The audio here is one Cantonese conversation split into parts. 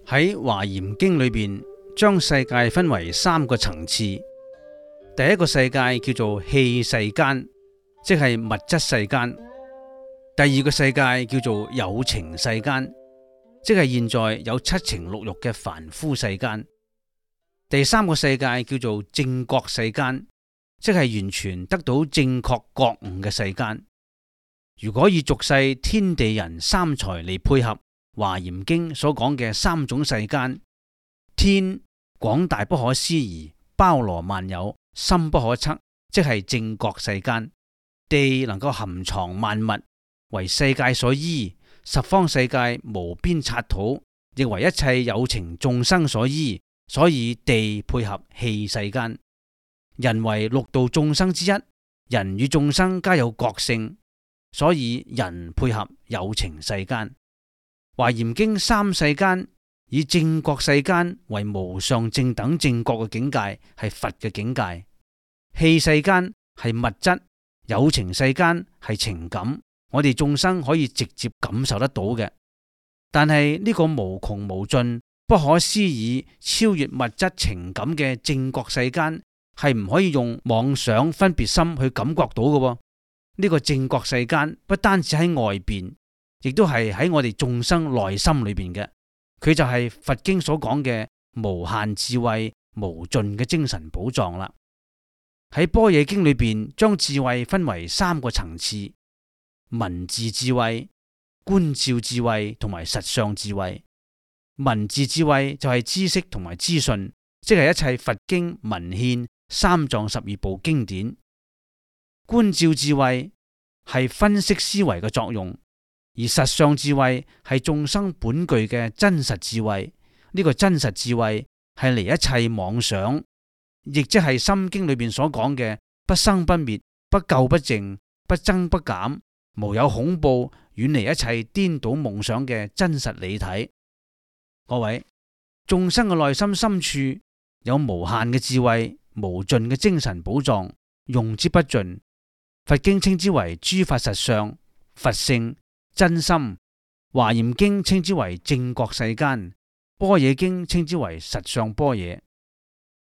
喺華嚴經裏邊，將世界分為三個層次。第一個世界叫做器世間，即係物質世間。第二個世界叫做有情世間，即係現在有七情六欲嘅凡夫世間。第三個世界叫做正覺世間，即係完全得到正確覺悟嘅世間。如果以俗世天地人三才嚟配合華嚴經所講嘅三種世間，天廣大不可思議，包羅萬有，深不可測，即係正覺世間；地能夠含藏萬物，為世界所依；十方世界無邊剎土，亦為一切有情眾生所依，所以地配合器世間。人為六道眾生之一，人與眾生皆有覺性，所以人配合有情世間。華嚴經三世間以正覺世間為無上正等正覺嘅境界，係佛嘅境界；器世間係物質，有情世間係情感，我哋眾生可以直接感受得到嘅。但係呢個無窮無盡、不可思議、超越物質情感嘅正覺世間，係唔可以用妄想分別心去感覺到嘅。呢個正覺世間不單止喺外邊，亦都係喺我哋眾生內心裏邊嘅。佢就係佛經所講嘅無限智慧、無盡嘅精神寶藏啦。喺般若經裏邊，將智慧分為三個層次：文字智慧、觀照智慧同埋實相智慧。文字智慧就係知識同埋資訊，即係一切佛經文獻、三藏十二部經典。觀照智慧係分析思維嘅作用，而實相智慧係眾生本具嘅真實智慧。呢個真實智慧係離一切妄想，亦即係心經裏邊所講嘅不生不滅、不垢不淨、不增不減、無有恐怖、遠離一切顛倒夢想嘅真實理體。各位，眾生嘅內心深處有無限嘅智慧、無盡嘅精神寶藏，用之不盡。佛經稱之為諸法實相、佛性、真心。華嚴經稱之為正覺世間，般若經稱之為實相般若。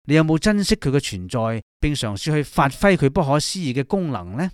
你有冇珍惜佢嘅存在，並嘗試去發揮佢不可思議嘅功能呢？